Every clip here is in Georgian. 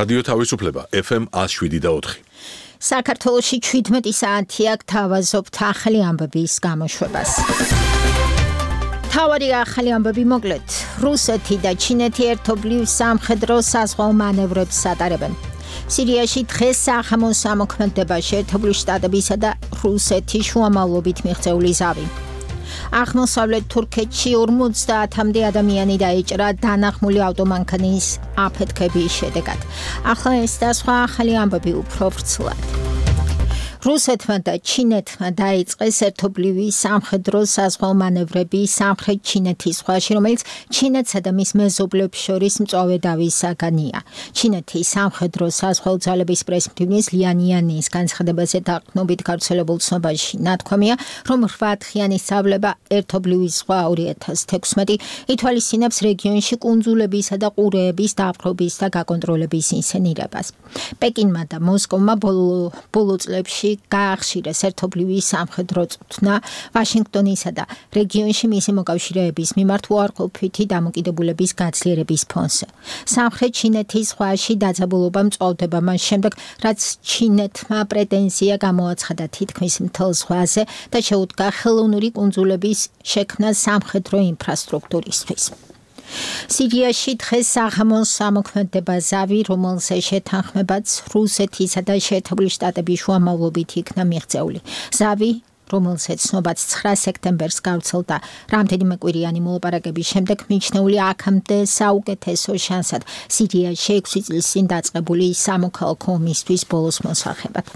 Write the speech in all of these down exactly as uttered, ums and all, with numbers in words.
რადიო თავისუფლება ეფ ემ one oh seven point four. საქართველოში შვიდმეტი საათი აქ თავაზობთ ახალი ამბების გამოშვებას. თავარი ახალი ამბები მოკლედ. რუსეთი და ჩინეთი ერთობლივ სამხედრო საზღვაო მანევრებს ატარებენ. სირიაში დღეს სახამოს ამოქმედება შეერთებული შტატებისა და რუსეთის შუამავლობით მიღწეული ზავი. აღმოსავლეთ თურქეთში ორმოცდაათამდე ადამიანი დაიჭრა დანახმული ავტომანქანის აფეთქების შედეგად. ახლა ეს და სხვა ახალი ამბები უფრო ვრცლად. რუსეთმა და ჩინეთმა დაიწყეს ერთობლივი სამხედრო საზღვაო მანევრები სამხრეთ ჩინეთის ზღვაში, რომელიც ჩინეთსა და მის მეზობლებს შორის მწვავე დავის საგანია. ჩინეთის სამხედრო საზღვაო ძალების პრესმდივნის ლიანიანის განცხადებაზე დაყრდნობით გავრცელებულ ცნობაში ნათქვამია, რომ რვაათხიანი სწავლება ერთობლივი ზღვა ორი ათას თექვსმეტი ითვალისწინებს რეგიონში კუნძულებისა და ყურეების დაპყრობის და გაკონტროლების ინსცენირებას. პეკინმა და მოსკოვმა ბოლო ბოლო წლებში გაახშირეს ერთობლივი სამხედრო წვრთნა ვაშინგტონისა და რეგიონში მისი მოკავშირეების მიმართ უარყოფითი დამოკიდებულების გაძლიერების ფონზე. სამხრეთ ჩინეთის ზღვაში დაძაბულობა მწვავდება მას შემდეგ, რაც ჩინეთმა პრეტენზია გამოაცხადა თითქმის მთელ ზღვაზე და შეუდგა ხელოვნური კუნძულების შექმნა სამხედრო ინფრასტრუქტურისთვის. სირიაში დღეს საღამოს ამოქმედება ზავი, რომელზე შეთანხმებაც რუსეთისა და შეერთებული შტატების შუამავლობით იქნა მიღწეული. ზავი, რომელზეც ცნობაც ცხრა სექტემბერს გავრცელდა რამდენიმე კვირიანი მოლაპარაკების შემდეგ, მიჩნეული აქამდე საუკეთესო შანსად სირიაში ექვსი წლის წინ დაწყებული სამოქალაქო ომისთვის ბოლოს მოსახებად.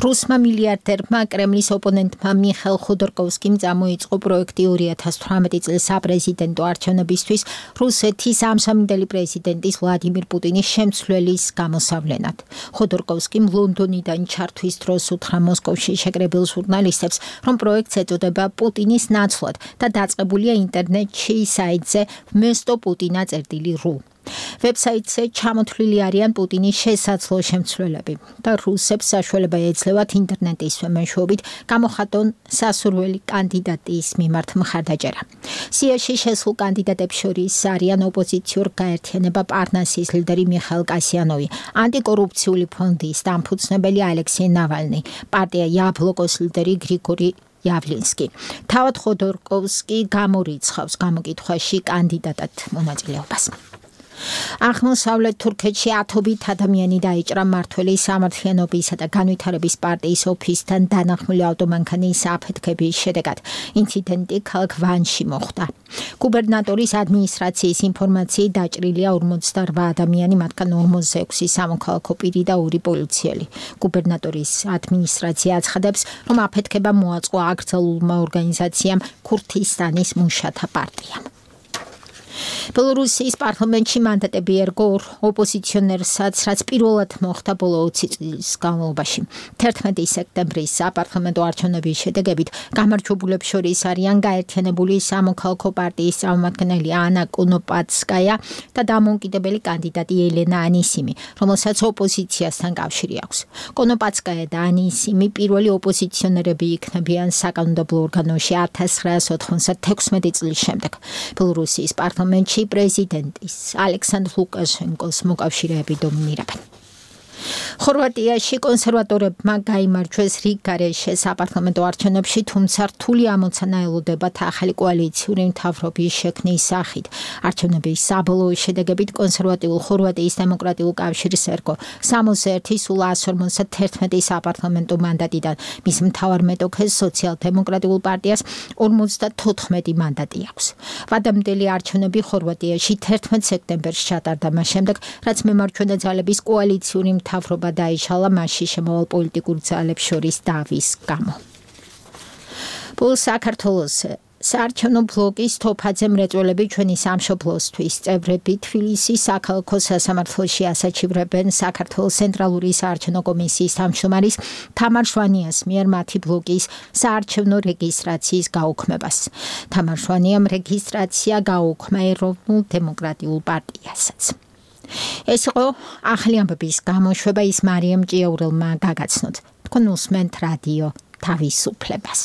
რუსმა მილიარდერმა კრემლის ოპონენტმა მიხეილ ხოდორკოვსკიმ წამოიწყო პროექტი ორი ათას თვრამეტი წლის საპრეზიდენტო არჩევნებისთვის რუსეთის ამჟამინდელი პრეზიდენტის ვლადიმირ პუტინის შემცვლელის გამოსავლენად. ხოდორკოვსკიმ ლონდონიდან ჩართვის დროს უთხრა მოსკოვში შეკრებილ ჟურნალისტებს, რომ პროექტს ეწოდება პუტინის ნაცვლად და დაწყებულია ინტერნეტში საიტზე ვმესტო პუტინა წერტილი რუ. ვებსაიტზე ჩამოთვლილი არიან პუტინის შესაძლო შემცვლელები და რუსებს საშუალება ეძლევათ ინტერნეტის მეშვეობით გამოხატონ სასურველი კანდიდატის მიმართ მხარდაჭერა. სიაში შესულ კანდიდატებს შორის არიან ოპოზიციურ გაერთიანება პარნასის ლიდერი მიხაილ კასიანოვი, ანტიკორუფციული ფონდის დამფუძნებელი ალექსეი ნავალნი, პარტია იაბლოკოს ლიდერი გრიგორი იავლინსკი. თავად ხოდორკოვსკი გამორიცხავს გამოკითხვაში კანდიდატად მონაწილეობას. აღმოსავლეთ თურქეთში ათობით ადამიანი დაიჭრა მმართველის სამართლიანობისა და განვითარების პარტიის ოფისთან დანახმული ავტომანქანის აფეთქების შედეგად. ინციდენტი ქალაქ ვანში მოხდა. გუბერნატორის ადმინისტრაციის ინფორმაციით დაჭრილია ორმოცდარვა ადამიანი, მათგან ორმოცდაექვსი სამოქალაქო პირი და ორი პოლიციელი. გუბერნატორის ადმინისტრაცია აცხადებს, რომ აფეთქება მოაწყო აკრძალულმა ორგანიზაციამ ქურთისტანის მუშათა პარტიამ. ბელორუსიის პარლამენტში მანდატები ერგო ოპოზიციონერსაც, რაც პირველად მოხდა ბოლო ოცი წლის განმავლობაში. თერთმეტი სექტემბრის საპარლამენტო არჩევნების შედეგებით გამარჯვებულებს შორის არიან გაერთიანებული სამოქალაქო პარტიის წარმომადგენელი ანა კონოპაცკაია და დამოუკიდებელი კანდიდატი ელენა ანისიმი, რომელსაც ოპოზიციასთან კავშირი აქვს. კონოპაცკაია და ანისიმი პირველი ოპოზიციონერები იქნებიან საკანონმდებლო ორგანოში ათას ცხრაასი ოთხმოცდათექვსმეტი წლის შემდეგ. ბელორუსიის პარლამენტში პრეზიდენტის ალექსანდრ ლუკაშენკოს მოკავშირეები დომინირებენ. ხორვატიაში კონსერვატორებმა გაიმარჯვეს რიგ გარეშე საპარლამენტო არჩევნებში, თუმცა რთული ამოცანა ელოდებათ ახალი კოალიციური მთავრობის შექმნის სახით. არჩევნების საბოლოო შედეგებით კონსერვატიულ ხორვატიის დემოკრატიულ კავშირს ერგო სამოცდა ერთი სულ εκατს ორმოცდათერთმეტი საპარლამენტო მანდატიდან, მის მთავარ მეტოქეს სოციალ-დემოკრატიულ პარტიას ორმოცდათოთხმეტი მანდატი აქვს. ვადამდელი არჩევნები ხორვატიაში თერთმეტ სექტემბერს ჩატარდა, მას შემდეგ, რაც მემარჯვენე ძალების კოალიციური მთავრობა დაიშალა მასში შემავალ პოლიტიკურ ძალებს შორის დავის გამო. ბოლო საქართველოს საარჩევნო ბლოკის თოფაძე მრეწველები ჩვენი სამშობლოსთვის წევრები თბილისის საქალაქო სასამართლოში ასაჩივრებენ საქართველოს ცენტრალური საარჩევნო კომისიის თავმჯდომარის თამარ შვანიას მიერ მათი ბლოკის საარჩევნო რეგისტრაციის გაუქმებას. თამარ შვანიამ რეგისტრაცია გაუქმა ეროვნულ დემოკრატიულ პარტიასაც. ეს იყო ახალი ამბების გამოშვება, ის მარიამ ჭიაურელმა გაგაცნოთ. თქვენ უსმენთ რადიო თავისუფლებას.